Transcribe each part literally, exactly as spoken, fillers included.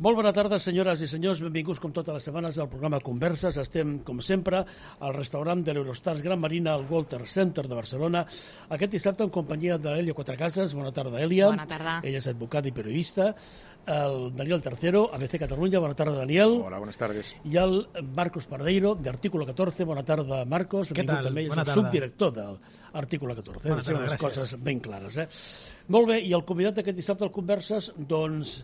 Molt bona tarda, senyores i senyors. Benvinguts, com totes les setmanes, al programa Converses. Estem, com sempre, al restaurant de l'Eurostars Gran Marina, al Walter Center de Barcelona. Aquest dissabte, en companyia d'Elia Quatrecases. Bona tarda, Elia. Bona tarda. Ella és advocat i periodista. El Daniel Tercero, A B C Catalunya. Bona tarda, Daniel. Hola, buenas tardes. I el Marcos Pardeiro, de Artículo catorze. Bona tarda, Marcos. Què tal? També. Bona és el tarda. subdirector d'Artículo catorze. Bona tarda, les gràcies. coses ben clares, eh? Molt bé, i el convidat d'aquest dissabte al Converses, doncs,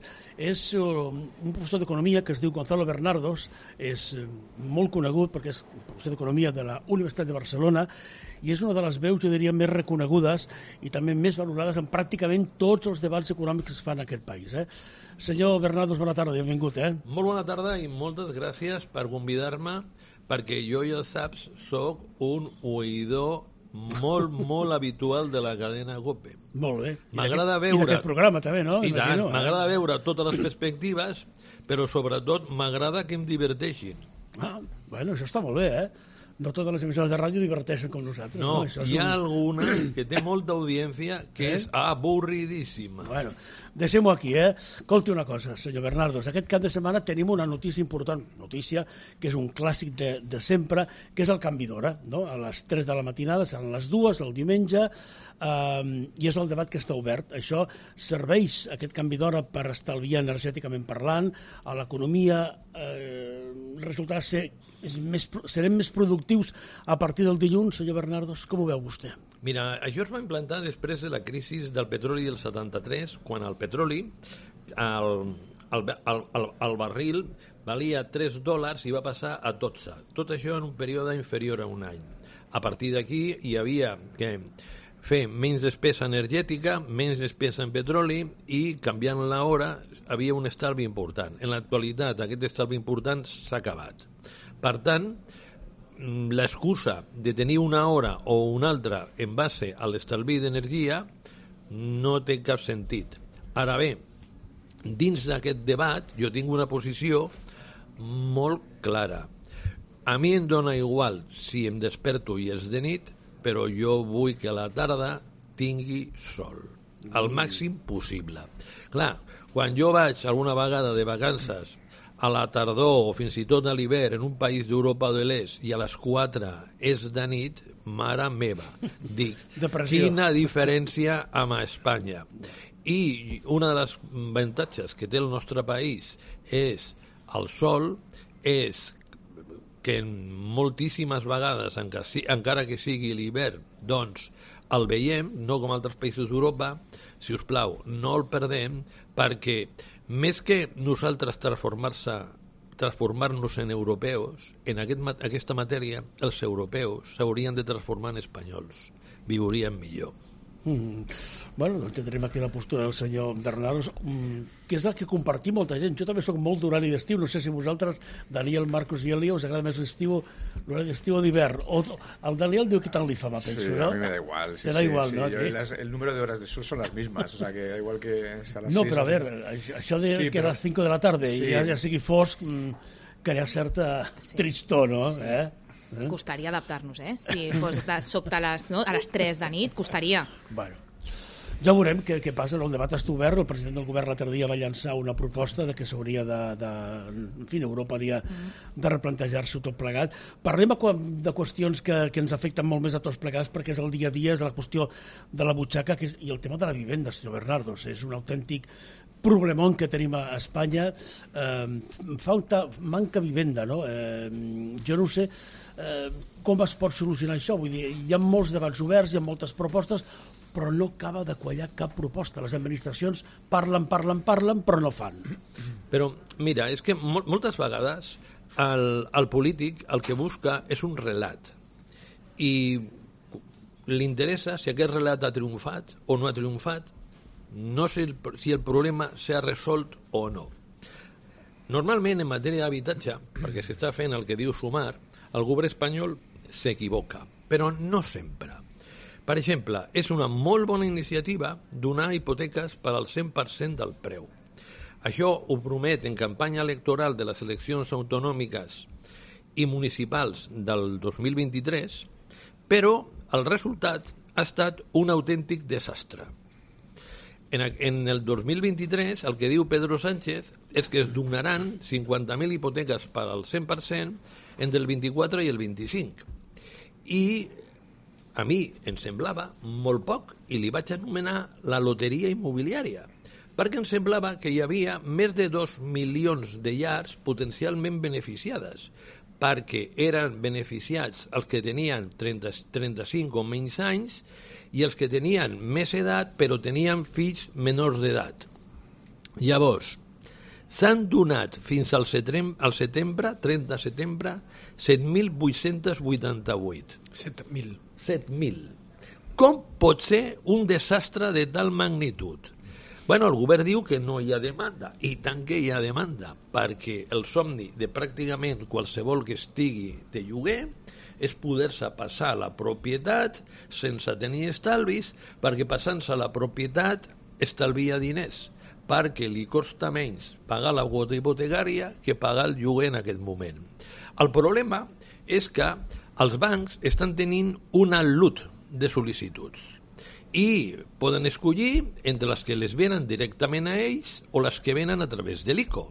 és uh, un professor d'Economia que es diu Gonzalo Bernardos, és uh, molt conegut perquè és professor d'Economia de la Universitat de Barcelona i és una de les veus, jo diria, més reconegudes i també més valorades en pràcticament tots els debats econòmics que es fan en aquest país. Eh? Senyor Bernardos, bona tarda, benvingut. Eh? Molt bona tarda i moltes gràcies per convidar-me, perquè jo, ja saps, sóc un oïdor molt, molt habitual de la cadena COPE. Molt bé. M'agrada I veure... d'aquest programa també, no? I tant, Imagino, eh? m'agrada veure totes les perspectives, però sobretot m'agrada que em diverteixin. Ah, bueno, això està molt bé, eh? No totes les emissores de ràdio diverteixen com nosaltres. No, no? Això és hi ha un... alguna que té molta audiència que Eh? és avorridíssima. Bueno, deixem-ho aquí, eh? Escolti una cosa, senyor Bernardos. Aquest cap de setmana tenim una notícia important, notícia que és un clàssic de, de sempre, que és el canvi d'hora, no? A les tres de la matinada, seran les dues, el diumenge, eh, i és el debat que està obert. Això serveix, aquest canvi d'hora, per estalviar energèticament parlant, a l'economia eh, resultarà ser és més, serem més productius a partir del dilluns, senyor Bernardos. Com ho veu vostè? Mira, això es va implantar després de la crisi del petroli del setanta-tres, quan el petroli, el, el, el, el, el barril, valia tres dòlars i va passar a dotze. Tot això en un període inferior a un any. A partir d'aquí hi havia que fer menys despesa energètica, menys despesa en petroli i, canviant l'hora, havia un estalvi important. En l'actualitat, aquest estalvi important s'ha acabat. Per tant, l'excusa de tenir una hora o una altra en base a l'estalvi d'energia no té cap sentit. Ara bé, dins d'aquest debat jo tinc una posició molt clara. A mi em dona igual si em desperto i és de nit, però jo vull que a la tarda tingui sol, al màxim possible. Clar, quan jo vaig alguna vegada de vacances a la tardor o fins i tot a l'hivern en un país d'Europa de l'Est i a les quatre és de nit, mare meva, dic, Depressió. Quina diferència amb Espanya. I una de les avantatges que té el nostre país és el sol, és que moltíssimes vegades, encara que sigui l'hivern, doncs el veiem, no com altres països d'Europa. Si us plau, no el perdem, perquè més que nosaltres transformar-se transformar-nos en europeus, en aquest, aquesta matèria, els europeus s'haurien de transformar en espanyols. Viurien millor. Mm. Bueno, doncs ja tenim aquí la postura del senyor Bernardos, mm, que és el que compartim molta gent. Jo també soc molt d'horari d'estiu, no sé si vosaltres, Daniel, Marcos i Elia, us agrada més l'estiu, l'horari d'estiu o d'hivern. O el Daniel diu que tant li fa, va, penso, sí, ¿no? a mí me da igual. Sí, Te da sí, igual, sí, ¿no? Yo, las, el número de horas de sol son las mismas, o sea que da igual que sea las No, seis, però a o veure, això de Sí, que però- a les cinc de la tarda Sí. i ja, ja sigui fosc, mm, crea certa Sí. tristor, no? Sí. Eh? Eh? Costaria adaptar-nos, eh? Si fos de sobte a les, no? a les tres de nit, costaria. Bueno, ja veurem què, què passa. El debat està obert. El president del govern l'altre dia va llançar una proposta de que s'hauria de, de... En fi, Europa hauria de replantejar-s'ho tot plegat. Parlem de qüestions que, que ens afecten molt més a tots plegats, perquè és el dia a dia, és la qüestió de la butxaca, que és, i el tema de la vivenda, senyor Bernardos. És un autèntic problemón que tenim a Espanya. Eh, falta, manca vivenda, no? Eh, jo no sé eh, com es pot solucionar això. Vull dir, hi ha molts debats oberts, hi ha moltes propostes, però no acaba de quallar cap proposta. Les administracions parlen, parlen, parlen, però no fan. Però, mira, és que mol moltes vegades el, el polític el que busca és un relat i li interessa si aquest relat ha triomfat o no ha triomfat, no sé el, si el problema s'ha resolt o no. Normalment, en matèria d'habitatge, perquè s'està fent el que diu Sumar, el govern espanyol s'equivoca, però no sempre. Per exemple, és una molt bona iniciativa donar hipoteques per al cent per cent del preu. Això ho promet en campanya electoral de les eleccions autonòmiques i municipals del dos mil vint-i-tres, però el resultat ha estat un autèntic desastre. en, en el dos mil vint-i-tres el que diu Pedro Sánchez és que es donaran cinquanta mil hipoteques per al cent per cent entre el vint-i-quatre i el vint-i-cinc. I a mi em semblava molt poc i li vaig anomenar la loteria immobiliària, perquè em semblava que hi havia més de dos milions de llars potencialment beneficiades, perquè eren beneficiats els que tenien trenta, trenta-cinc o menys anys i els que tenien més edat però tenien fills menors d'edat. Llavors, s'han donat fins al setembre, al setembre trenta de setembre, set mil vuit-cents vuitanta-vuit. set mil. set mil. Com pot ser un desastre de tal magnitud? Bueno, el govern diu que no hi ha demanda, i tant que hi ha demanda, perquè el somni de pràcticament qualsevol que estigui de lloguer és poder-se passar a la propietat sense tenir estalvis, perquè passant-se a la propietat estalvia diners, perquè li costa menys pagar la quota hipotecària que pagar el lloguer en aquest moment. El problema és que els bancs estan tenint un al·lut de sol·licituds i poden escollir entre les que les venen directament a ells o les que venen a través de l'I C O.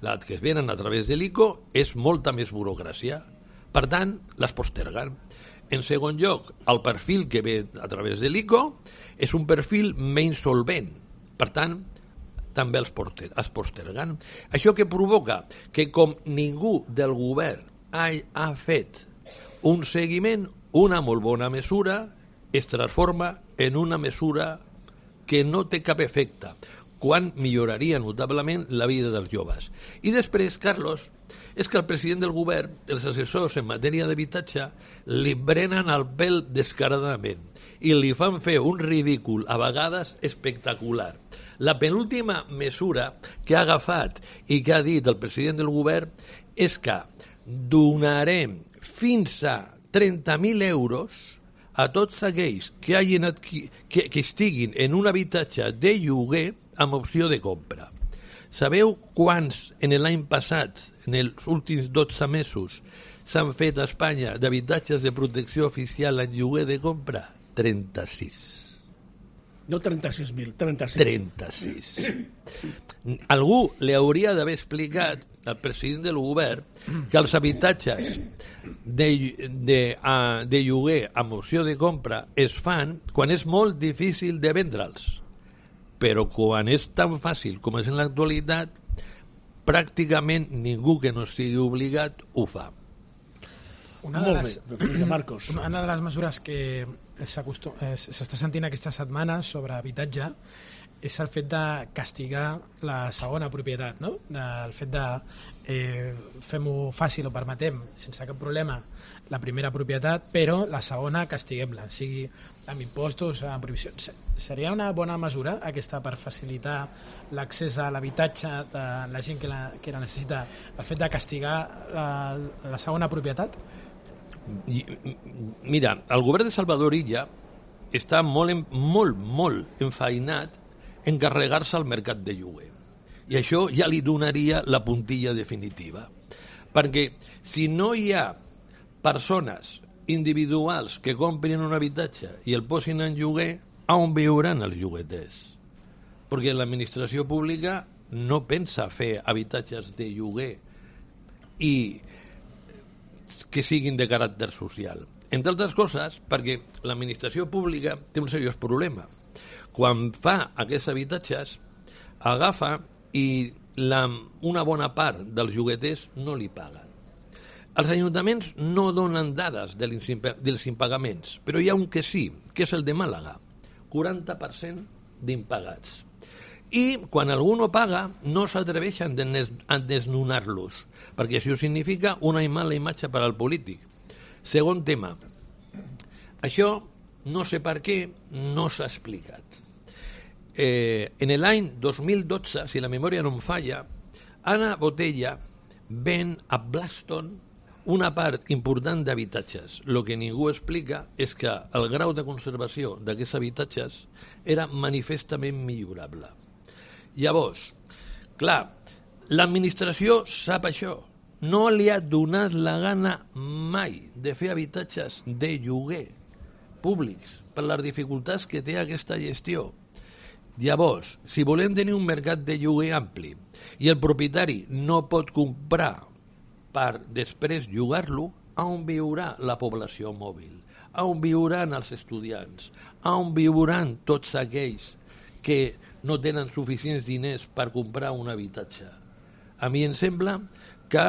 Les que es venen a través de l'I C O és molta més burocràcia. Per tant, les posterguen. En segon lloc, el perfil que ve a través de l'I C O és un perfil menys solvent. Per tant, també els, porter, els posterguen. Això que provoca que com ningú del govern ha, ha fet un seguiment, una molt bona mesura es transforma en una mesura que no té cap efecte, quan milloraria notablement la vida dels joves. I després, Carlos, és que el president del govern, els assessors en matèria d'habitatge, li brenen el pèl descaradament i li fan fer un ridícul, a vegades espectacular. La penúltima mesura que ha agafat i que ha dit el president del govern és que donarem fins a trenta mil euros a tots aquells que, hagin adqui... que, que estiguin en un habitatge de lloguer amb opció de compra. Sabeu quants en l'any passat, en els últims dotze mesos, s'han fet a Espanya d'habitatges de protecció oficial en lloguer de compra? trenta-sis. No trenta-sis mil, trenta-sis. trenta-sis. Algú li hauria d'haver explicat al president del govern que els habitatges de, de, uh, de lloguer amb opció de compra es fan quan és molt difícil de vendre'ls. Però quan és tan fàcil com és en l'actualitat, pràcticament ningú que no estigui obligat ho fa. Una de, les, bé, Marcos. una de les mesures que s'està sentint aquesta setmana sobre habitatge és el fet de castigar la segona propietat, no? El fet de eh, fem-ho fàcil o permetem sense cap problema la primera propietat, però la segona castiguem-la, sigui amb impostos, amb prohibicions. Seria una bona mesura aquesta per facilitar l'accés a l'habitatge de la gent que la, que la necessita, el fet de castigar la, la segona propietat? Mira, el govern de Salvador Illa està molt, molt, molt enfeinat en carregar-se al mercat de lloguer. I això ja li donaria la puntilla definitiva. Perquè si no hi ha persones individuals que comprin un habitatge i el posin en lloguer, on viuran els llogueters? Perquè l'administració pública no pensa fer habitatges de lloguer i que siguin de caràcter social. Entre altres coses, perquè l'administració pública té un seriós problema. Quan fa aquests habitatges, agafa i la, una bona part dels llogueters no li paguen. Els ajuntaments no donen dades dels impagaments, però hi ha un que sí, que és el de Màlaga, quaranta per cent d'impagats. I quan algú no paga, no s'atreveixen a desnonar-los, perquè això significa una mala imatge per al polític. Segon tema, això no sé per què no s'ha explicat. Eh, en l'any dos mil dotze, si la memòria no em falla, Ana Botella ven a Blaston una part important d'habitatges. El que ningú explica és que el grau de conservació d'aquests habitatges era manifestament millorable. Llavors, clar, l'administració sap això. No li ha donat la gana mai de fer habitatges de lloguer públics per les dificultats que té aquesta gestió. Llavors, si volem tenir un mercat de lloguer ampli i el propietari no pot comprar per després llogar-lo, on viurà la població mòbil? On viuran els estudiants? On viuran tots aquells que no tenen suficients diners per comprar un habitatge? A mi em sembla que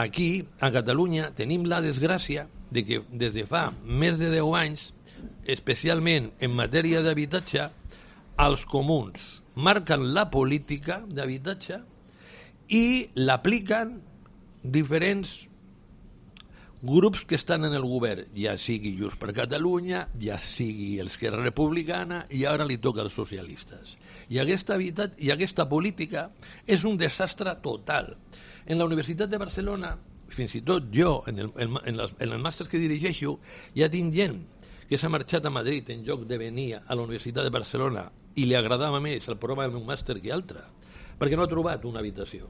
aquí, a Catalunya, tenim la desgràcia de que des de fa més de deu anys, especialment en matèria d'habitatge, els comuns marquen la política d'habitatge i l'apliquen diferents grups que estan en el govern, ja sigui Junts per Catalunya, ja sigui Esquerra Republicana, i ara li toca als socialistes. I aquesta, habitat, i aquesta política és un desastre total. En la Universitat de Barcelona, fins i tot jo, en el, en, en, les, en el màster que dirigeixo, ja tinc gent que s'ha marxat a Madrid en lloc de venir a la Universitat de Barcelona i li agradava més el programa del meu màster que altre, perquè no ha trobat una habitació.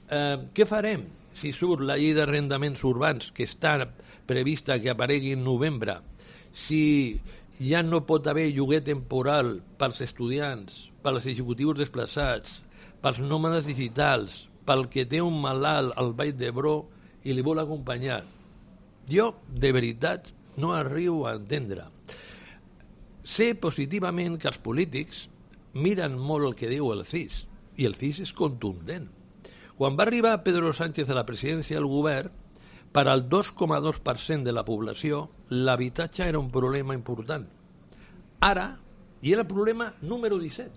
Eh, què farem si surt la llei d'arrendaments urbans que està prevista que aparegui en novembre, si ja no pot haver lloguer temporal pels estudiants, pels executius desplaçats, pels nòmades digitals, pel que té un malalt al Vall d'Hebron i li vol acompanyar? Jo, de veritat, no arribo a entendre. Sé positivament que els polítics miren molt el que diu el C I S, i el C I S és contundent. Quan va arribar Pedro Sánchez a la presidència del govern, per al dos coma dos per cent de la població, l'habitatge era un problema important. Ara, i era el problema número disset,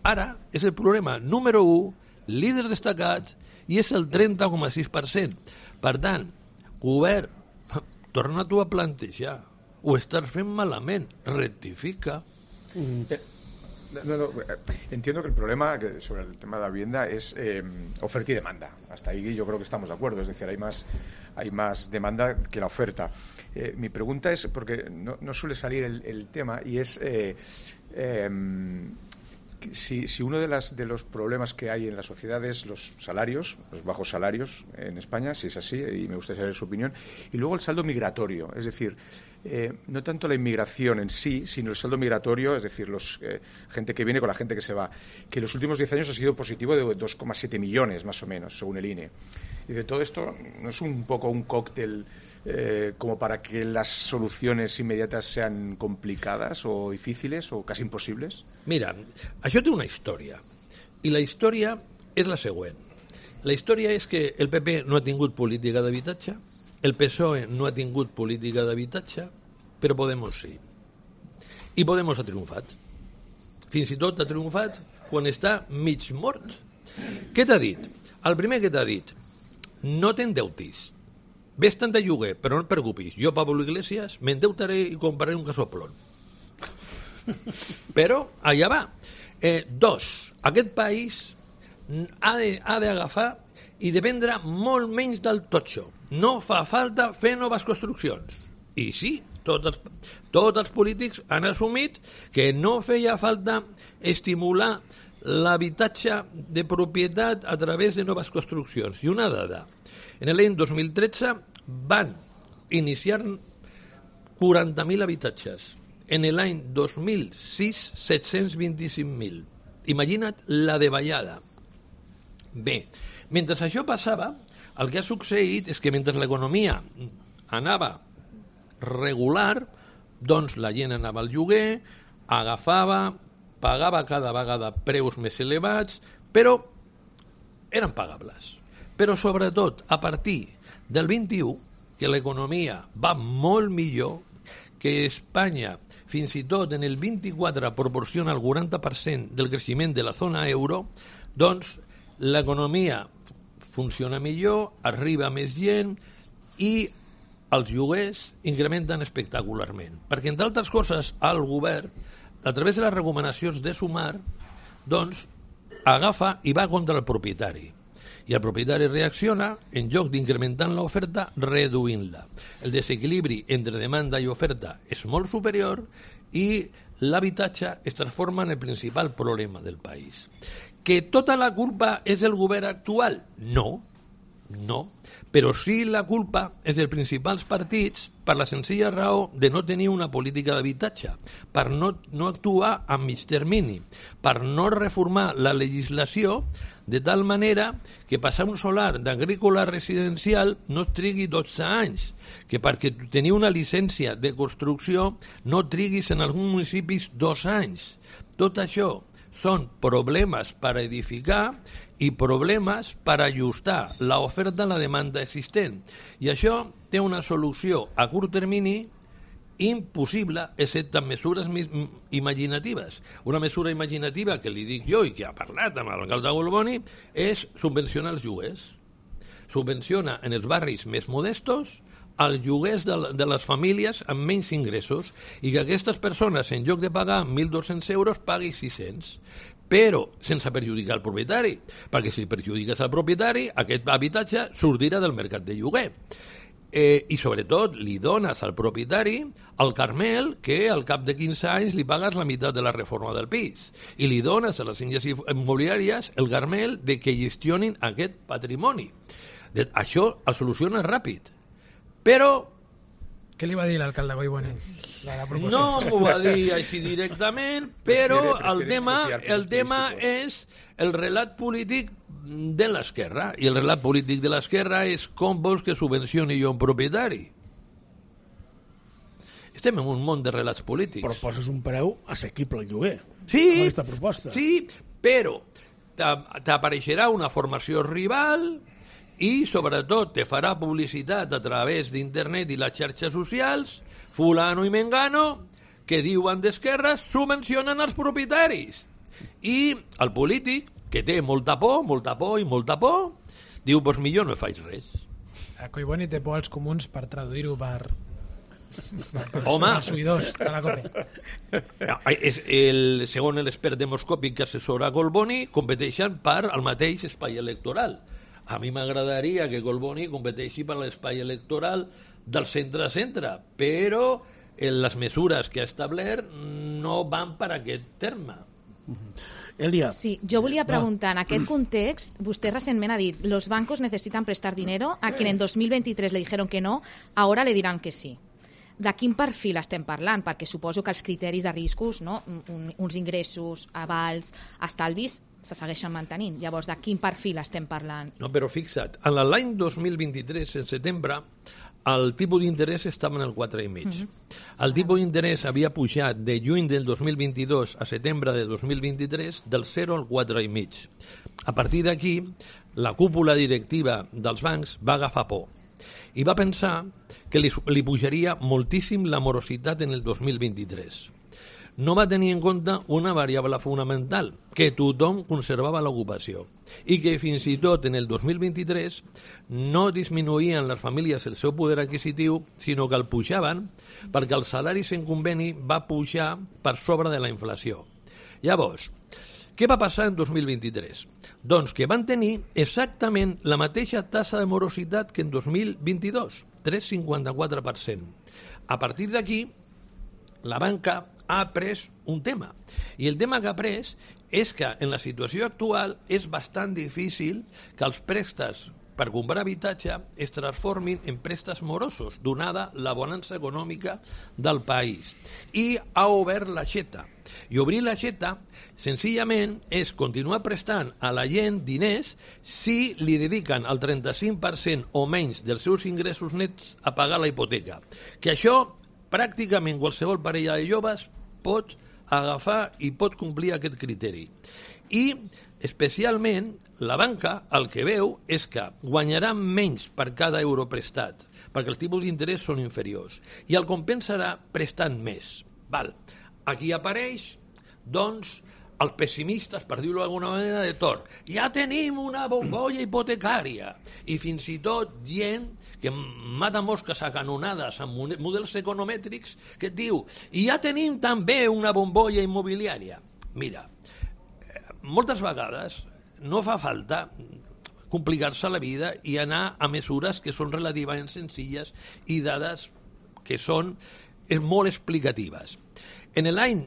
ara és el problema número u, líder destacat, i és el trenta coma sis per cent. Per tant, govern, torna tu a plantejar, ho estàs fent malament, rectifica. Mm. No, no, entiendo que el problema sobre el tema de la vivienda es eh, oferta y demanda. Hasta ahí yo creo que estamos de acuerdo. Es decir, hay más, hay más demanda que la oferta. Eh, mi pregunta es, porque no, no suele salir el, el tema, y es eh, eh, si, si uno de, las, de los problemas que hay en la sociedad es los salarios, los bajos salarios en España, si es así, y me gustaría saber su opinión, y luego el saldo migratorio. Es decir, Eh, no tanto la inmigración en sí, sino el saldo migratorio, es decir, los eh, gente que viene con la gente que se va, que en los últimos diez años ha sido positivo de dos coma siete millones, más o menos, según el I N E. Y de todo esto, ¿no es un poco un cóctel eh, como para que las soluciones inmediatas sean complicadas o difíciles o casi imposibles? Mira, això té una història, i la història és la següent. La història és que el P P no ha tingut política d'habitatge, el P S O E no ha tingut política d'habitatge, però Podemos sí. I Podemos ha triomfat. Fins i tot ha triomfat quan està mig mort. Què t'ha dit? El primer que t'ha dit, no t'endeutis. Ves-te'n de lloguer, però no et preocupis. Jo, Pablo Iglesias, m'endeutaré i compraré un casoplón. Però allà va. Eh, dos, aquest país ha de, ha d'agafar i dependre molt menys del totxo. No fa falta fer noves construccions. I sí, tots els, tots els polítics han assumit que no feia falta estimular l'habitatge de propietat a través de noves construccions. I una dada, en l'any dos mil tretze van iniciar quaranta mil habitatges. En l'any dos mil sis, set-cents vint-i-cinc mil. Imagina't la davallada. Bé, mentre això passava, el que ha succeït és que mentre l'economia anava regular, doncs la gent anava al lloguer, agafava, pagava cada vegada preus més elevats, però eren pagables. Però sobretot, a partir del vint-i-u, que l'economia va molt millor, que Espanya, fins i tot en el vint-i-quatre, proporciona el quaranta per cent del creixement de la zona euro, doncs l'economia funciona millor, arriba més gent i els lloguers incrementen espectacularment. Perquè, entre altres coses, el govern, a través de les recomanacions de Sumar, doncs, agafa i va contra el propietari. I el propietari reacciona, en lloc d'incrementar l'oferta, reduint-la. El desequilibri entre demanda i oferta és molt superior i l'habitatge es transforma en el principal problema del país. Que tota la culpa és el govern actual? No, No, però sí la culpa és dels principals partits per la senzilla raó de no tenir una política d'habitatge, per no, no actuar a mig termini, per no reformar la legislació de tal manera que passar un solar d'agrícola residencial no et trigui dotze anys, que perquè tenir una llicència de construcció no triguis en alguns municipis dos anys. Tot això són problemes per edificar i problemes per ajustar l'oferta a la demanda existent. I això té una solució a curt termini impossible, excepte amb mesures imaginatives. Una mesura imaginativa que li dic jo i que ha parlat amb l'alcalde Golboni és subvencionar els lloguers. Subvenciona en els barris més modestos els lloguers de, de les famílies amb menys ingressos i que aquestes persones, en lloc de pagar mil dos-cents euros, pagui sis-cents. Però sense perjudicar el propietari, perquè si perjudiques el propietari, aquest habitatge sortirà del mercat de lloguer. Eh, I sobretot li dones al propietari el carmel que al cap de quinze anys li pagues la meitat de la reforma del pis i li dones a les agències immobiliàries el carmel de que gestionin aquest patrimoni. De, això el soluciona ràpid, però què li va dir l'alcalde Collboni? No m'ho va dir així directament, però el tema, el tema és el relat polític de l'esquerra, i el relat polític de l'esquerra és com vols que subvencioni jo un propietari. Estem en un món de relats polítics. Però poses un preu assequible al lloguer. Sí, amb aquesta proposta. Sí, però t'apareixerà una formació rival i sobretot te farà publicitat a través d'internet i les xarxes socials, fulano i mengano, que diuen d'esquerres subvencionen els propietaris. I el polític, que té molta por, molta por i molta por, diu, doncs pues millor no faig res. A Collboni té por als comuns per traduir-ho per... per Home! Els oïdors de la COPE. És el, segons l'expert demoscòpic que assessora Collboni, competeixen per al mateix espai electoral. A mi m'agradaria que Collboni competeixi per l'espai electoral del centre-centre, però les mesures que ha establert no van per aquest terme. Elia. Sí, jo volia preguntar, en aquest context, vostè recentment ha dit, los bancos necesitan prestar dinero, a quien en dos mil veintitrés le dijeron que no, ahora le dirán que sí. De quin perfil estem parlant? Perquè suposo que els criteris de riscos, no? Un, uns ingressos, avals, estalvis, se segueixen mantenint. Llavors, de quin perfil estem parlant? No, però fixa't, en l'any dos mil vint-i-tres, en setembre, el tipus d'interès estava en el quatre coma cinc. Mm-hmm. El tipus d'interès havia pujat de juny del dos mil vint-i-dos a setembre de dos mil vint-i-tres del zero al quatre coma cinc. A partir d'aquí, la cúpula directiva dels bancs va agafar por i va pensar que li, li pujaria moltíssim la morositat en el dos mil vint-i-tres. No va tenir en compte una variable fonamental, que tothom conservava l'ocupació i que fins i tot en el dos mil vint-i-tres no disminuïen les famílies el seu poder adquisitiu, sinó que el pujaven perquè els salaris en conveni va pujar per sobre de la inflació. Llavors, què va passar en dos mil vint-i-tres? Doncs que van tenir exactament la mateixa tassa de morositat que en dos mil vint-i-dos, tres coma cinquanta-quatre per cent. A partir d'aquí, la banca ha pres un tema. I el tema que ha pres és que en la situació actual és bastant difícil que els préstecs per comprar habitatge es transformin en préstecs morosos, donada la bonança econòmica del país. I ha obert l'aixeta. I obrir l'aixeta, senzillament, és continuar prestant a la gent diners si li dediquen el trenta-cinc per cent o menys dels seus ingressos nets a pagar la hipoteca. Que això, pràcticament qualsevol parella de joves pot agafar i pot complir aquest criteri. I, especialment, la banca el que veu és que guanyarà menys per cada euro prestat, perquè els tipus d'interès són inferiors, i el compensarà prestant més. Val. Aquí apareix, doncs, els pessimistes, per dir-ho d'alguna manera, de Tor. Ja tenim una bombolla hipotecària. I fins i tot gent que mata mosques a canonades amb models economètrics que et diu, i ja tenim també una bombolla immobiliària. Mira, moltes vegades no fa falta complicar-se la vida i anar a mesures que són relativament senzilles i dades que són molt explicatives. En l'any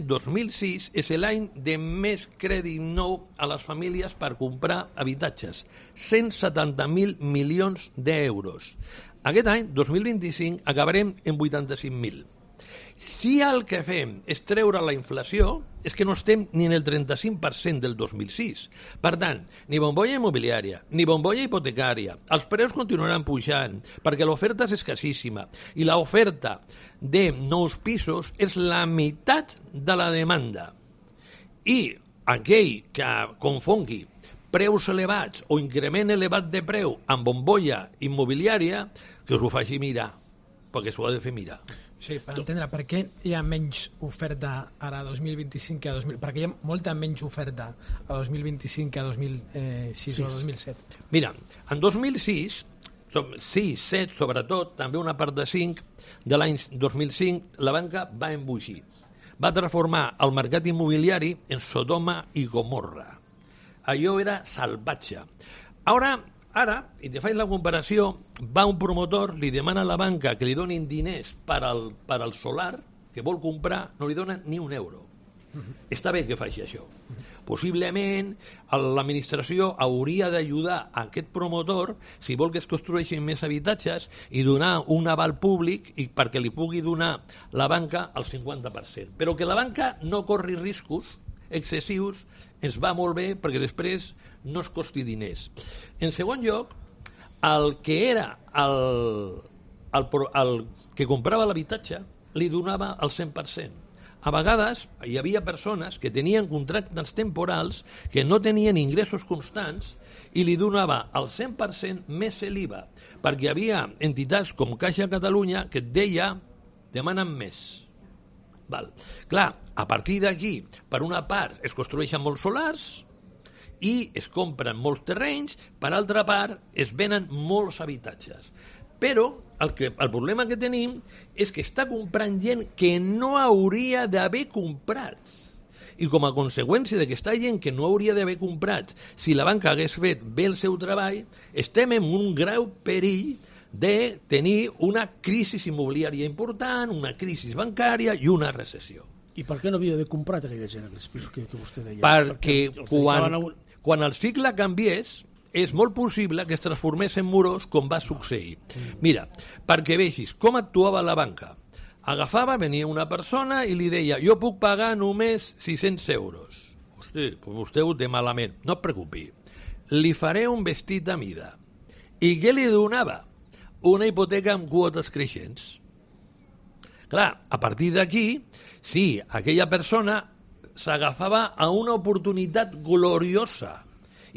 dos mil sis és l'any de més crèdit nou a les famílies per comprar habitatges, cent setanta mil milions d'euros. Aquest any, dos mil vint-i-cinc, acabarem en vuitanta-cinc mil. Si el que fem és treure la inflació, és que no estem ni en el trenta-cinc per cent del dos mil sis. Per tant, ni bombolla immobiliària, ni bombolla hipotecària. Els preus continuaran pujant perquè l'oferta és escassíssima i l'oferta de nous pisos és la meitat de la demanda. I aquell que confongui preus elevats o increment elevat de preu amb bombolla immobiliària, que us ho faci mirar, perquè s'ho ha de fer mirar. Sí, per entendre per què hi ha menys oferta ara a dos mil vint-i-cinc que a dos mil... Perquè hi ha molta menys oferta a dos mil vint-i-cinc que a dos mil sis o dos mil set. Mira, en dos mil sis, sis, set, sobretot, també una part de cinc, de l'any dos mil cinc, la banca va embogir. Va transformar el mercat immobiliari en Sodoma i Gomorra. Allò era salvatge. Ara... Ara, i te faig la comparació, va un promotor, li demana a la banca que li donin diners per al, per al solar, que vol comprar, no li donen ni un euro. Uh-huh. Està bé que faci això. Uh-huh. Possiblement, l'administració hauria d'ajudar a aquest promotor, si vol que es construeixin més habitatges, i donar un aval públic i perquè li pugui donar la banca el cinquanta per cent. Però que la banca no corri riscos excessius ens va molt bé perquè després no es costi diners. En segon lloc, el que era el, el, el que comprava l'habitatge li donava el cent per cent. A vegades hi havia persones que tenien contractes temporals que no tenien ingressos constants i li donava el cent per cent més l'I V A, perquè hi havia entitats com Caixa Catalunya que et deia demanen més. Val. Clar, a partir d'aquí, per una part, es construeixen molts solars i es compren molts terrenys, per altra part, es venen molts habitatges. Però el, que, el problema que tenim és que està comprant gent que no hauria d'haver comprat. I com a conseqüència d'aquesta gent que no hauria d'haver comprat, si la banca hagués fet bé el seu treball, estem en un greu perill de tenir una crisi immobiliària important, una crisi bancària i una recessió. I per què no havia d'haver comprat aquella gent aquests pisos que, que vostè deia? Perquè, perquè quan, un... quan el cicle canviés, és molt possible que es transformés en morós com va succeir. Mira, perquè vegis com actuava la banca. Agafava, venia una persona i li deia jo puc pagar només sis-cents euros. Hosti, vostè ho té malament. No et preocupi. Li faré un vestit a mida. I què li donava? Una hipoteca amb quotes creixents. Clar, a partir d'aquí, sí, aquella persona s'agafava a una oportunitat gloriosa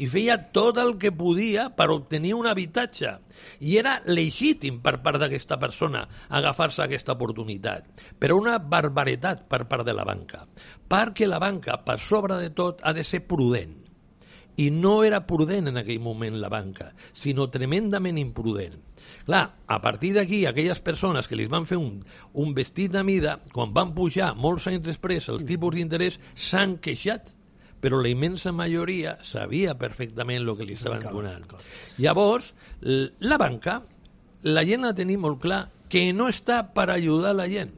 i feia tot el que podia per obtenir un habitatge. I era legítim per part d'aquesta persona agafar-se aquesta oportunitat. Però una barbaritat per part de la banca. Perquè la banca, per sobre de tot, ha de ser prudent. I no era prudent en aquell moment la banca, sinó tremendament imprudent. Clar, a partir d'aquí, aquelles persones que li van fer un, un vestit a mida, quan van pujar molts anys després els tipus d'interès, s'han queixat, però la immensa majoria sabia perfectament el que li estaven donant. Llavors, la banca, la gent ha de tenir molt clar que no està per ajudar la gent.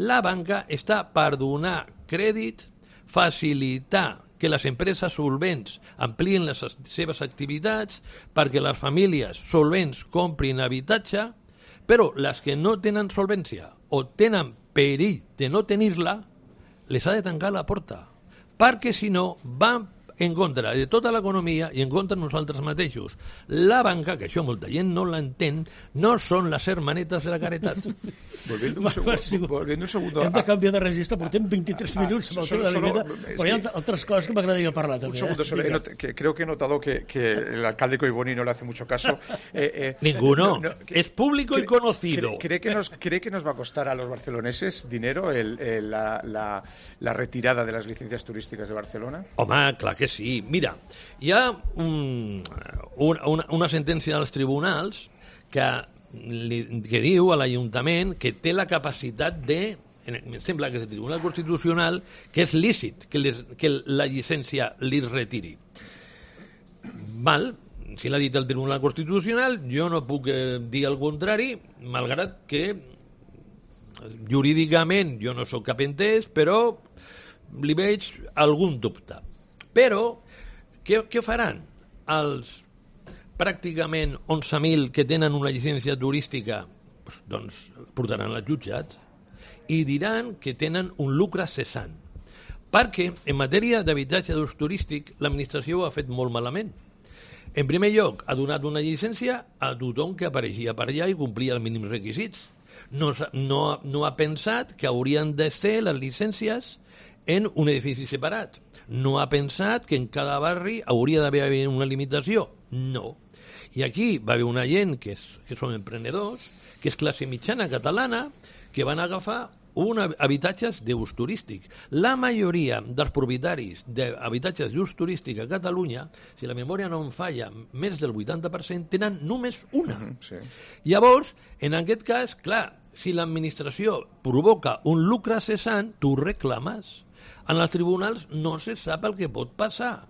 La banca està per donar crèdit, facilitar que les empreses solvents amplien les seves activitats perquè les famílies solvents comprin habitatge, però les que no tenen solvència o tenen perill de no tenir-la, les ha de tancar la porta, perquè si no van en contra de tota l'economia i en contra de nosaltres mateixos. La banca, que això molta gent no l'entén, no són les hermanetes de la caritat. Volviendo un segundo, volviendo un segundo hem de canviar de registre, portem vint-i-tres minuts amb el tema de la vida, però hi ha altres coses que m'agradaria parlar també. Un segundo, solo, eh? not, que, creo que he notado que, que el alcalde Collboni no le hace mucho caso. Eh, eh, Ninguno, no, no, que, es público cree, y conocido. ¿cree, cree, que nos, ¿Cree que nos va a costar a los barceloneses dinero el, el, la, la, la retirada de las licencias turísticas de Barcelona? Home, clar que sí. Mira, hi ha un, una, una sentència dels tribunals que, li, que diu a l'Ajuntament que té la capacitat de, em sembla que és el Tribunal Constitucional, que és lícit que, les, que la llicència li retiri. Val, si l'ha dit el Tribunal Constitucional, jo no puc eh, dir el contrari, malgrat que jurídicament jo no sóc cap entès, però li veig algun dubte. Però què, què faran els pràcticament onze mil que tenen una llicència turística? Doncs portaran als jutjats i diran que tenen un lucre cessant. Perquè en matèria d'habitatge d'ús turístic l'administració ho ha fet molt malament. En primer lloc, ha donat una llicència a tothom que apareixia per allà i complia els mínims requisits. No, no, no ha pensat que haurien de ser les llicències en un edifici separat. No ha pensat que en cada barri hauria d'haver una limitació. No. I aquí va haver una gent que, és, que són emprenedors, que és classe mitjana catalana, que van agafar un habitatges d'ús turístic. La majoria dels propietaris d'habitatges d'ús turístic a Catalunya, si la memòria no em falla, més del vuitanta per cent tenen només una. Uh-huh, sí. Llavors, en aquest cas, clar, si l'administració provoca un lucre cessant, tu reclames. En els tribunals no se sap el que pot passar.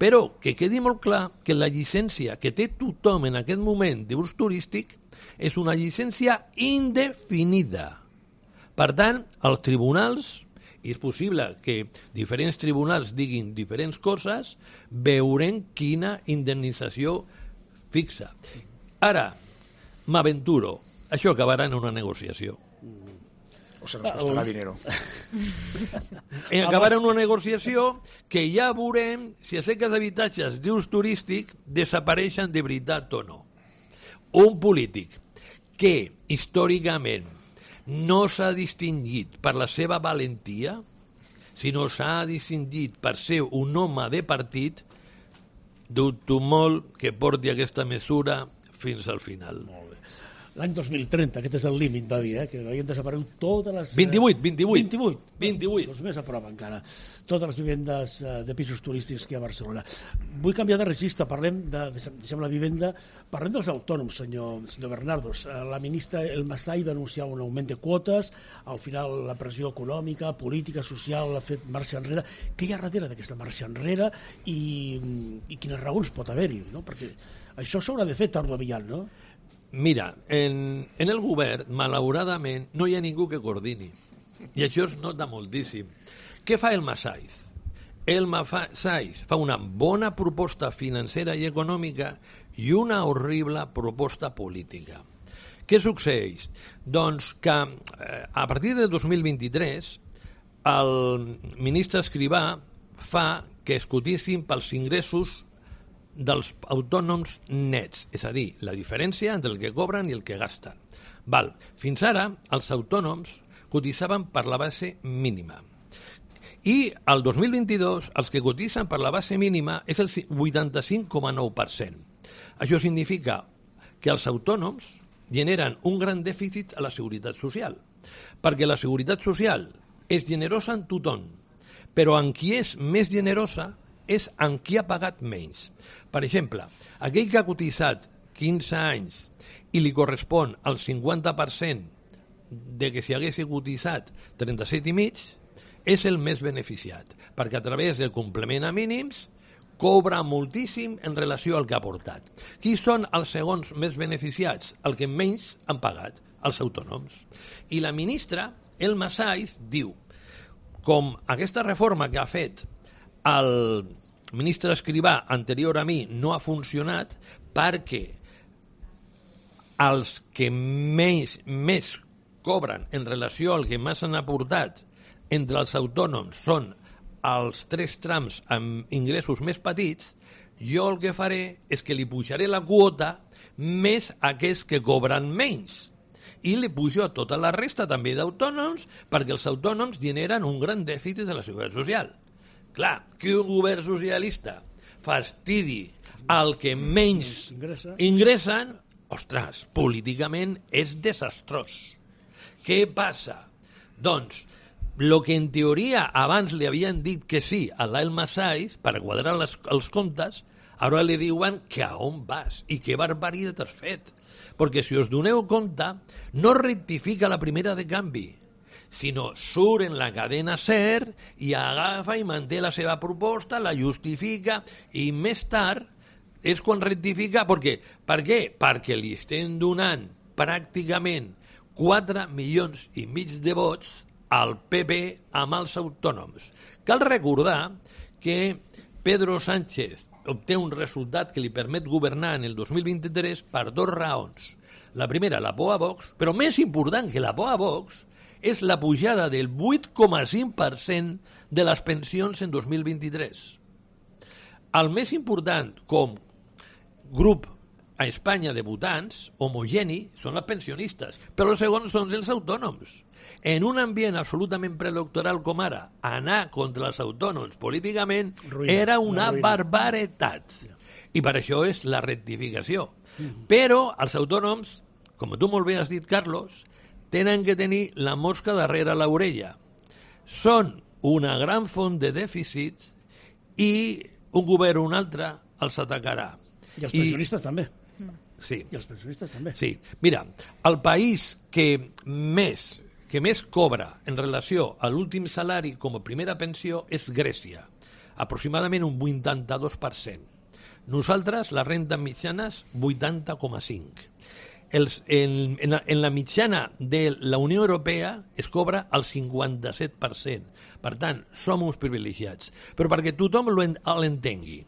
Però que quedi molt clar que la llicència que té tothom en aquest moment d'ús turístic és una llicència indefinida. Per tant, els tribunals, i és possible que diferents tribunals diguin diferents coses, veurem quina indemnització fixa. Ara, m'aventuro, això acabarà en una negociació. O se nos costarà dinero. Acabarà en una negociació que ja veurem si aquests habitatges d'ús turístic desapareixen de veritat o no. Un polític que històricament no s'ha distingit per la seva valentia, sinó s'ha distingit per ser un home de partit, dubto molt que porti aquesta mesura fins al final. Molt bé. L'any dos mil trenta, aquest és el límit, va dir, eh? Que havien desaparegut totes les... vint-i-vuit, vint-i-vuit. vint-i-vuit. vint-i-vuit. Doncs més a prop encara. Totes les vivendes de pisos turístics que hi ha a Barcelona. Vull canviar de registre, parlem de, deixem la vivenda, parlem dels autònoms, senyor, senyor Bernardos. La ministra El Masai va anunciar un augment de quotes, al final la pressió econòmica, política, social, ha fet marxa enrere. Què hi ha darrere d'aquesta marxa enrere i, i quines raons pot haver-hi, no? Perquè això s'haurà de fer tard o aviat, no? Mira, en, en el govern, malauradament, no hi ha ningú que coordini. I això es nota moltíssim. Què fa el Masaiz? El Masaiz fa una bona proposta financera i econòmica i una horrible proposta política. Què succeeix? Doncs que eh, a partir de dos mil vint-i-tres el ministre Escrivà fa que es cotissin pels ingressos dels autònoms nets, és a dir, la diferència entre el que cobren i el que gasten. Val. Fins ara, els autònoms cotitzaven per la base mínima. I el dos mil vint-i-dos, els que cotitzen per la base mínima és el vuitanta-cinc coma nou per cent. Això significa que els autònoms generen un gran dèficit a la seguretat social, perquè la seguretat social és generosa en tothom, però en qui és més generosa és en qui ha pagat menys. Per exemple, aquell que ha cotitzat quinze anys i li correspon el cinquanta per cent de que si hagués cotitzat trenta-set i mig, és el més beneficiat, perquè a través del complement a mínims cobra moltíssim en relació al que ha aportat. Qui són els segons més beneficiats? El que menys han pagat, els autònoms. I la ministra, El Masaiz, diu, com aquesta reforma que ha fet el ministre Escrivà anterior a mi no ha funcionat perquè els que més, més cobren en relació al que més han aportat entre els autònoms són els tres trams amb ingressos més petits, jo el que faré és que li pujaré la quota més a aquells que cobren menys. I li pujo a tota la resta també d'autònoms perquè els autònoms generen un gran dèficit de la seguretat social. Clar, que un govern socialista fastidi al que menys ingressen, ostres, políticament és desastrós. Què passa? Doncs, el que en teoria abans li havien dit que sí a l'El Masaiz per quadrar les, els comptes, ara li diuen que a on vas i que barbaritat has fet. Perquè si us doneu compte, no rectifica la primera de canvi, sinó surt en la cadena SER i agafa i manté la seva proposta, la justifica i més tard és quan rectifica. Per què? Per què? Perquè li estem donant pràcticament quatre milions i mig de vots al P P amb els autònoms. Cal recordar que Pedro Sánchez obté un resultat que li permet governar en el dos mil vint-i-tres per dues raons. La primera, la por a Vox, però més important que la por a Vox és la pujada del vuit coma cinc per cent de les pensions en dos mil vint-i-tres. El més important com grup a Espanya de votants, homogeni, són els pensionistes, però els segons són els autònoms. En un ambient absolutament preelectoral com ara, anar contra els autònoms políticament ruïna, era una barbaritat. I per això és la rectificació. Mm-hmm. Però els autònoms, com tu molt bé has dit, Carlos, tenen que tenir la mosca darrere l'orella. Són una gran font de dèficits i un govern o un altre els atacarà. I els pensionistes I... també. Sí. I els pensionistes també. Sí. Mira, el país que més, que més cobra en relació a l'últim salari com a primera pensió és Grècia, aproximadament un vuitanta-dos per cent. Nosaltres, les rendes mitjanes, vuitanta coma cinc. Els, en, en, la, en la mitjana de la Unió Europea es cobra el cinquanta-set per cent. Per tant, som uns privilegiats. Però perquè tothom l'entengui,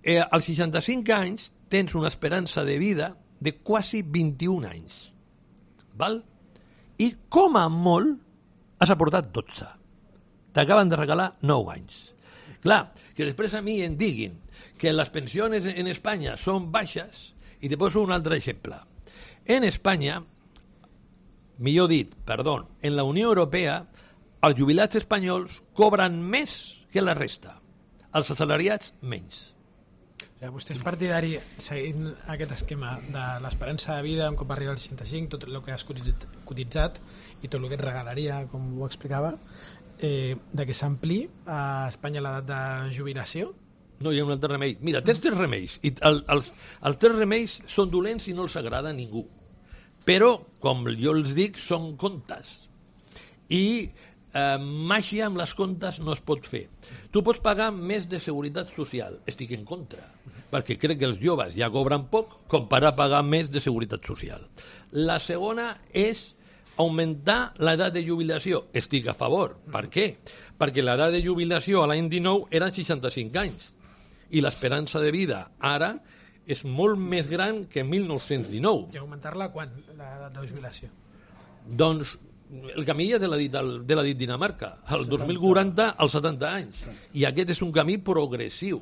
eh, als seixanta-cinc anys tens una esperança de vida de quasi vint-i-un anys. Val? I com a molt has aportat dotze. T'acaben de regalar nou anys. Clar, que després a mi em diguin que les pensions en Espanya són baixes, i te poso un altre exemple. En Espanya, millor dit, perdó, en la Unió Europea, els jubilats espanyols cobren més que la resta. Els assalariats, menys. O sigui, vostè és partidari, seguint aquest esquema de l'esperança de vida, un cop arriba als seixanta-cinc, tot el que has cotitzat i tot el que et regalaria, com ho explicava, eh, de que s'ampli a Espanya l'edat de jubilació? No hi ha un altre remei. Mira, tens tres remeis, i el, els, els tres remeis són dolents i no els agrada a ningú. Però, com jo els dic, són contes. I eh, màgia amb les contes no es pot fer. Tu pots pagar més de seguretat social. Estic en contra, perquè crec que els joves ja cobren poc com per a pagar més de seguretat social. La segona és augmentar l'edat de jubilació. Estic a favor. Per què? Perquè l'edat de jubilació a l'any dinou eren seixanta-cinc anys i l'esperança de vida ara és molt més gran que mil nou-cents dinou. I augmentar-la quan, l'edat de jubilació? Doncs el camí ja te l'ha dit, el, te l'ha dit Dinamarca, el dos mil quaranta als setanta anys. I aquest és un camí progressiu.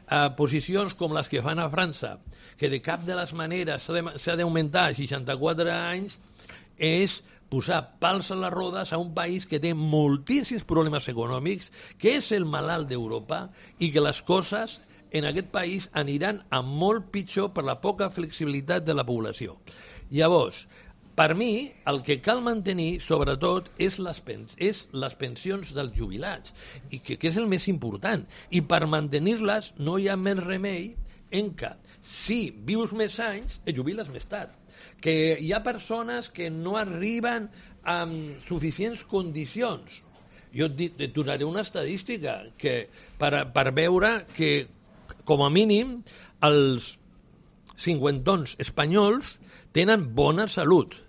Uh, posicions com les que fan a França, que de cap de les maneres s'ha d'augmentar a seixanta-quatre anys, és posar pals a les rodes a un país que té moltíssims problemes econòmics, que és el malalt d'Europa i que les coses en aquest país aniran a molt pitjor per la poca flexibilitat de la població. Llavors, per mi, el que cal mantenir, sobretot, és les, pens és les pensions dels jubilats, i que, que és el més important. I per mantenir-les no hi ha més remei en que, si vius més anys, et jubiles més tard. Que hi ha persones que no arriben amb suficients condicions. Jo et, et donaré una estadística que, per, per veure que, com a mínim, els cinquantons espanyols tenen bona salut.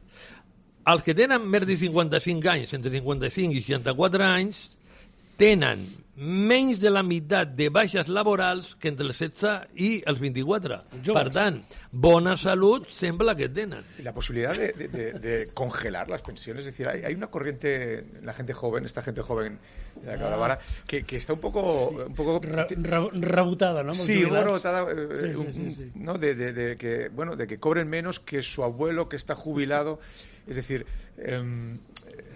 Els que tenen més de cinquanta-cinc anys, entre cinquanta-cinc i seixanta-quatre anys, tenen menys de la meitat de baixes laborals que entre els setze i els vint-i-quatre. Per tant, bona salut sembla que tenen. Y la posibilidad de, de, de, de congelar las pensiones, es decir, hay, hay una corriente, la gente joven, esta gente joven de la que hablaba ahora, que, que está un poco... Un poco Re, re, rebotada, ¿no? Sí, rebotada, eh, sí, sí, un, sí, sí. ¿no? De, de, de, que, bueno, de que cobren menos que su abuelo que está jubilado. Es decir, eh,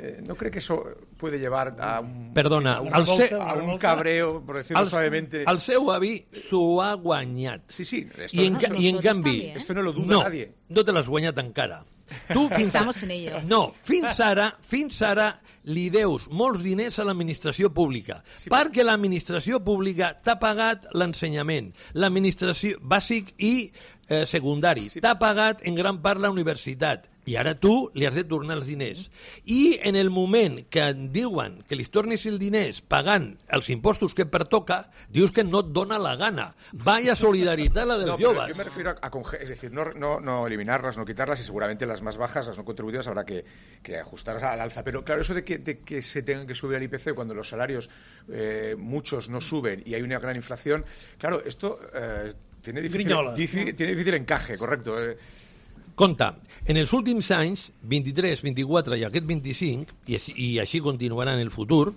eh, ¿no cree que eso puede llevar a un, Perdona, a un, al se... a un cabreo, por decirlo el, suavemente? El seu avi s'ho ha guanyat. Sí, sí. Esto, I en, esto, I en canvi, esto no lo duda no, nadie. no te l'has guanyat encara. Tu fins Estamos en ello. No, fins ara, fins ara li deus molts diners a l'administració pública, sí, perquè l'administració pública t'ha pagat l'ensenyament, l'administració bàsic i eh, secundari, sí. T'ha pagat en gran part la universitat, i ara tu li has de tornar els diners. I en el moment que et diuen que li tornis els diners pagant els impostos que pertoca, dius que no et dona la gana. Vaya solidaritat la dels no, joves. Yo me refiero a, a es decir, no, no, no eliminarlas, no quitarlas, y seguramente las las más bajas, las no contributivas, habrá que, que ajustar al alza. Pero claro, eso de que, de que se tengan que subir al I P C cuando los salarios, eh, muchos no suben y hay una gran inflación, claro, esto eh, tiene, difícil, difícil, tiene difícil encaje, correcto. Eh. Compte, en els últims anys, vint-i-tres, vint-i-quatre i aquest vint-i-cinc, i així, i així continuarà en el futur,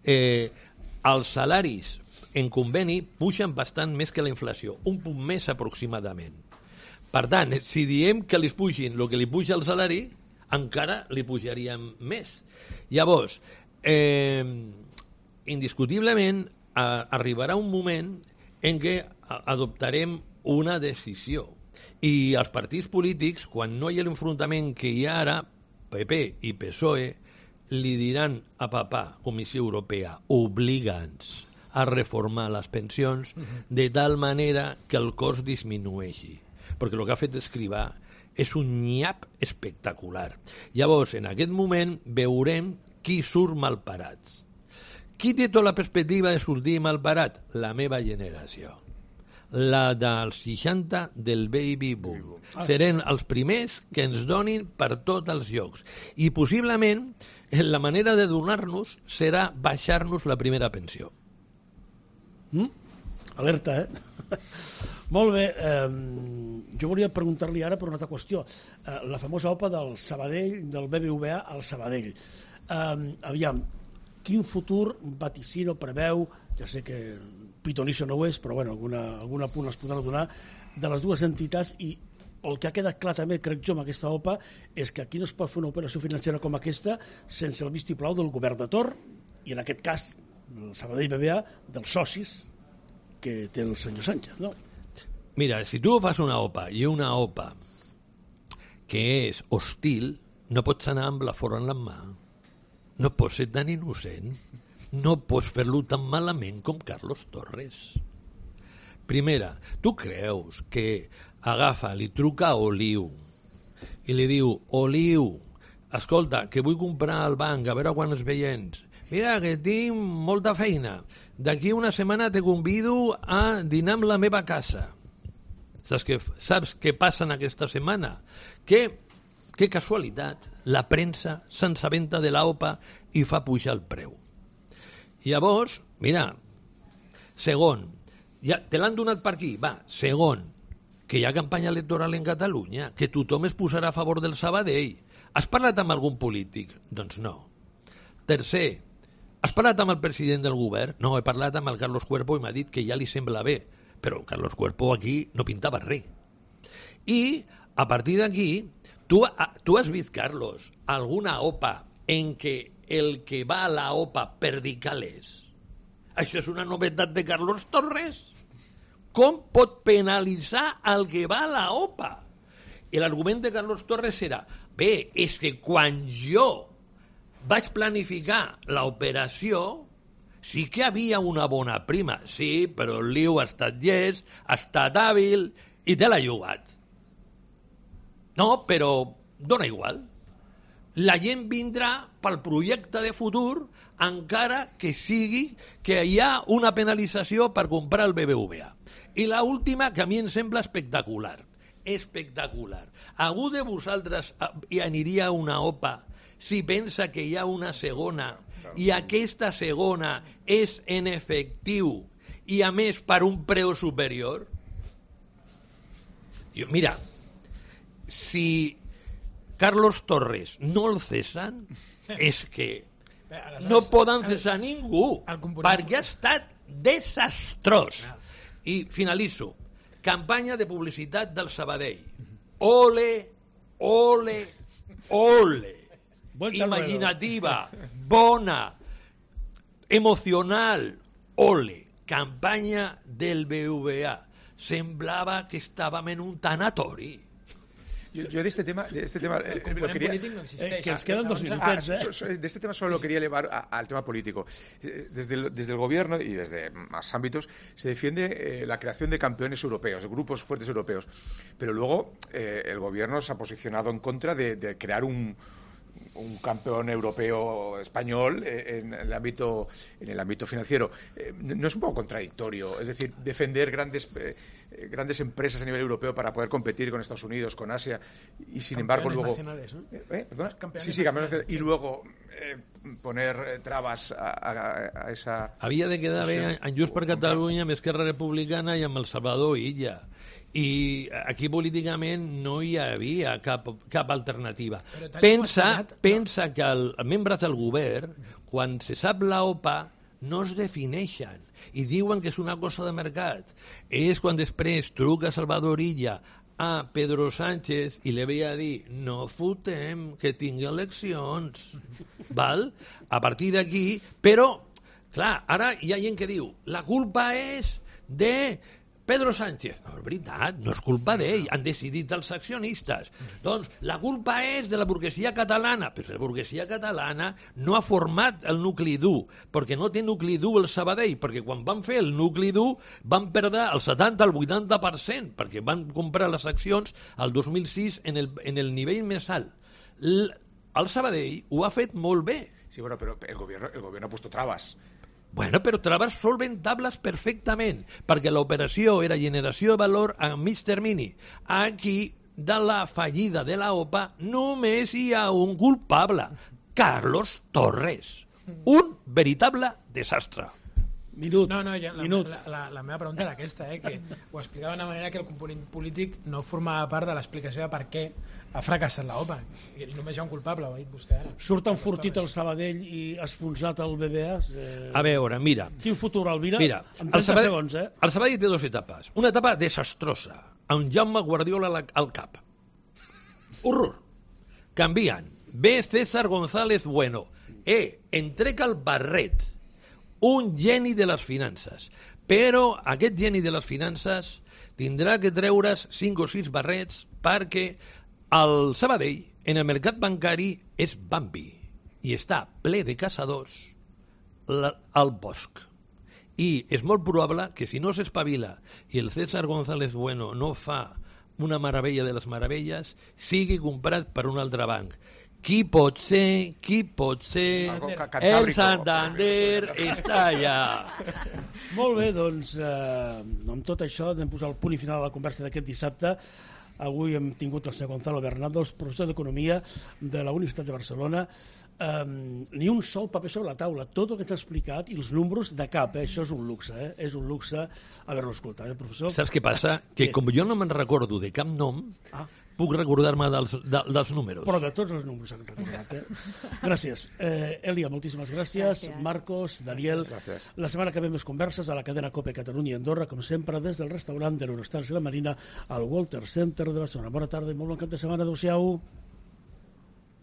eh, els salaris en conveni pugen bastant més que la inflació, un punt més aproximadament. Per tant, si diem que li pugin el que li puja el salari, encara li pujaríem més. Llavors, eh, indiscutiblement, a, arribarà un moment en què adoptarem una decisió. I els partits polítics, quan no hi ha l'enfrontament que hi ha ara, P P i P S O E, li diran a papà, Comissió Europea, obliga'ns a reformar les pensions de tal manera que el cost disminueixi. Perquè el que ha fet Escrivà és un nyap espectacular. Llavors, en aquest moment, veurem qui surt malparats. Qui té tota la perspectiva de sortir malparat? La meva generació. La dels seixanta del baby boom. Serem els primers que ens donin per tots els llocs. I possiblement la manera de donar-nos serà baixar-nos la primera pensió. Mm? Alerta, eh? Molt bé. Eh, jo volia preguntar-li ara per una altra qüestió. Eh, la famosa O P A del Sabadell, del B B V A al Sabadell. Eh, aviam, quin futur vaticino preveu, ja sé que pitonisso no ho és, però bueno, alguna, alguna punt es podrà donar, de les dues entitats, i el que ha quedat clar també, crec jo, amb aquesta O P A, és que aquí no es pot fer una operació financera com aquesta sense el vistiplau del govern de Torn, i en aquest cas, el Sabadell B B A, dels socis que té el senyor Sánchez, no? Mira, si tu fas una O P A i una O P A que és hostil, no pots anar amb la forra en la mà. No pots ser tan innocent. No pots fer-lo tan malament com Carlos Torres. Primera, tu creus que agafa, li truca a Oliu i li diu, Oliu, escolta, que vull comprar al banc, a veure quan es veients. Mira, que tinc molta feina. D'aquí una setmana te convido a dinar amb la meva casa. Saps què, saps què passa en aquesta setmana? Que, que casualitat, la premsa s'ensabenta de l'O P A i fa pujar el preu. Llavors, mira, segon, ja te l'han donat per aquí, va, segon, que hi ha campanya electoral en Catalunya, que tothom es posarà a favor del Sabadell. Has parlat amb algun polític? Doncs no. Tercer, has parlat amb el president del govern? No, he parlat amb el Carlos Cuerpo i m'ha dit que ja li sembla bé, però Carlos Cuerpo aquí no pintava res. I, a partir d'aquí, tu, tu has vist, Carlos, alguna O P A en què el que va a la O P A perdi calés? Això és una novetat de Carlos Torres? Com pot penalitzar el que va a la O P A? I l'argument de Carlos Torres era, bé, és que quan jo vaig planificar l'operació sí que havia una bona prima. Sí, però el Liu ha estat llest, ha estat hàbil i te l'ha jugat. No, però dona igual. La gent vindrà pel projecte de futur encara que sigui que hi ha una penalització per comprar el B B V A. I l'última, que a mi em sembla espectacular. Espectacular. Algú de vosaltres hi aniria a una O P A si pensa que hi ha una segona i aquesta segona és en efectiu i a més per un preu superior? Jo, mira, si Carlos Torres no el cesan, és que no poden cesar ningú, perquè ha estat desastrós. I finalitzo. Campanya de publicitat del Sabadell. Ole, ole, ole. Imaginativa, bona, emocional, ole. Campanya del B B V A. Semblava que estàvem en un tanatori. Yo, yo de este tema, de este tema el eh, lo quería, no existe, eh, que nos quedan dos minutos. Ah, so, so, de este tema solo lo quería elevar a, al tema político. Desde el, desde el gobierno y desde más ámbitos se defiende eh, la creación de campeones europeos, de grupos fuertes europeos, pero luego eh, el gobierno se ha posicionado en contra de, de crear un un campeón europeo español en el ámbito en el ámbito financiero. ¿No es un poco contradictorio? Es decir, defender grandes eh, eh, grandes empresas a nivel europeo para poder competir con Estados Unidos, con Asia, y sin embargo luego... Nacionales, ¿no? ¿Eh? ¿Perdona? Campeones Sí, sí, campeones nacionales. nacionales. Y luego eh, poner eh, trabas a, a, a esa... Havia de quedar bé en Junts per Catalunya, amb Esquerra Republicana i amb el Salvador Illa. I aquí políticament no hi havia cap, cap alternativa. Pensa, pensa que els membres del govern, quan se sap la OPA, no es defineixen i diuen que és una cosa de mercat. És quan després truca Salvador Illa a Pedro Sánchez i li ve a dir no fotem, que tingui eleccions. Val? A partir d'aquí, però, clar, ara hi ha gent que diu la culpa és de Pedro Sánchez. No, és veritat, no és culpa d'ell, han decidit els accionistes. Doncs la culpa és de la burguesia catalana, però la burguesia catalana no ha format el nucli dur, perquè no té nucli dur el Sabadell, perquè quan van fer el nucli dur van perdre el setanta al vuitanta per cent, perquè van comprar les accions el dos mil sis en el, en el nivell més alt. L el Sabadell ho ha fet molt bé. Sí, bueno, pero el gobierno, el gobierno ha puesto trabas. Bueno, però traves solventables perfectament, perquè l'operació era generació de valor a mig termini. Aquí, de la fallida de la OPA, només hi ha un culpable, Carlos Torres. Un veritable desastre. Minut, No, no, ja, la, minut. la, la, la meva pregunta era aquesta, eh, que ho explicava d'una manera que el component polític no formava part de l'explicació de per què ha fracassat la OPA. I només hi ha un culpable, ho ha dit vostè ara. Surt enfortit el Sabadell i esfonsat el B B A. Eh, A veure, mira, Quin futur, Alvira? mira, En el trenta Sabadell, segons, eh? el Sabadell té dues etapes. Una etapa desastrosa, amb Jaume Guardiola al- al cap. Horror. Canvien. Ve César González Bueno. E, entrega el barret. Un geni de les finances. Però aquest geni de les finances tindrà que treure's cinc o sis barrets perquè el Sabadell, en el mercat bancari, és Bambi i està ple de caçadors la- al bosc. I és molt probable que si no s'espavila i el César González Bueno no fa una meravella de les meravelles, sigui comprat per un altre banc. Qui pot ser, qui pot ser... Algo ca- El Cantábrico. Santander està allà. Molt bé, doncs, eh, amb tot això anem a posar el punt i final a la conversa d'aquest dissabte. Avui hem tingut el senyor Gonzalo Bernardo, professor d'Economia de la Universitat de Barcelona. Eh, ni un sol paper sobre la taula. Tot el que t'ha explicat i els números de cap, eh? Això és un luxe, eh? És un luxe haver-lo escoltat, eh, professor? Saps què passa? Que com jo no me'n recordo de cap nom, Ah. puc recordar-me dels, de, dels números. Però de tots els números s'han recordat, eh? Gràcies. Eh, Elia, moltíssimes gràcies. Gràcies. Marcos, Daniel. Gràcies. La setmana que ve més converses a la cadena COPE Catalunya i Andorra, com sempre, des del restaurant de l'Eurostars i la Marina al Walter Center de Barcelona. Bona tarda i molt bon cap de setmana. Adéu-siau.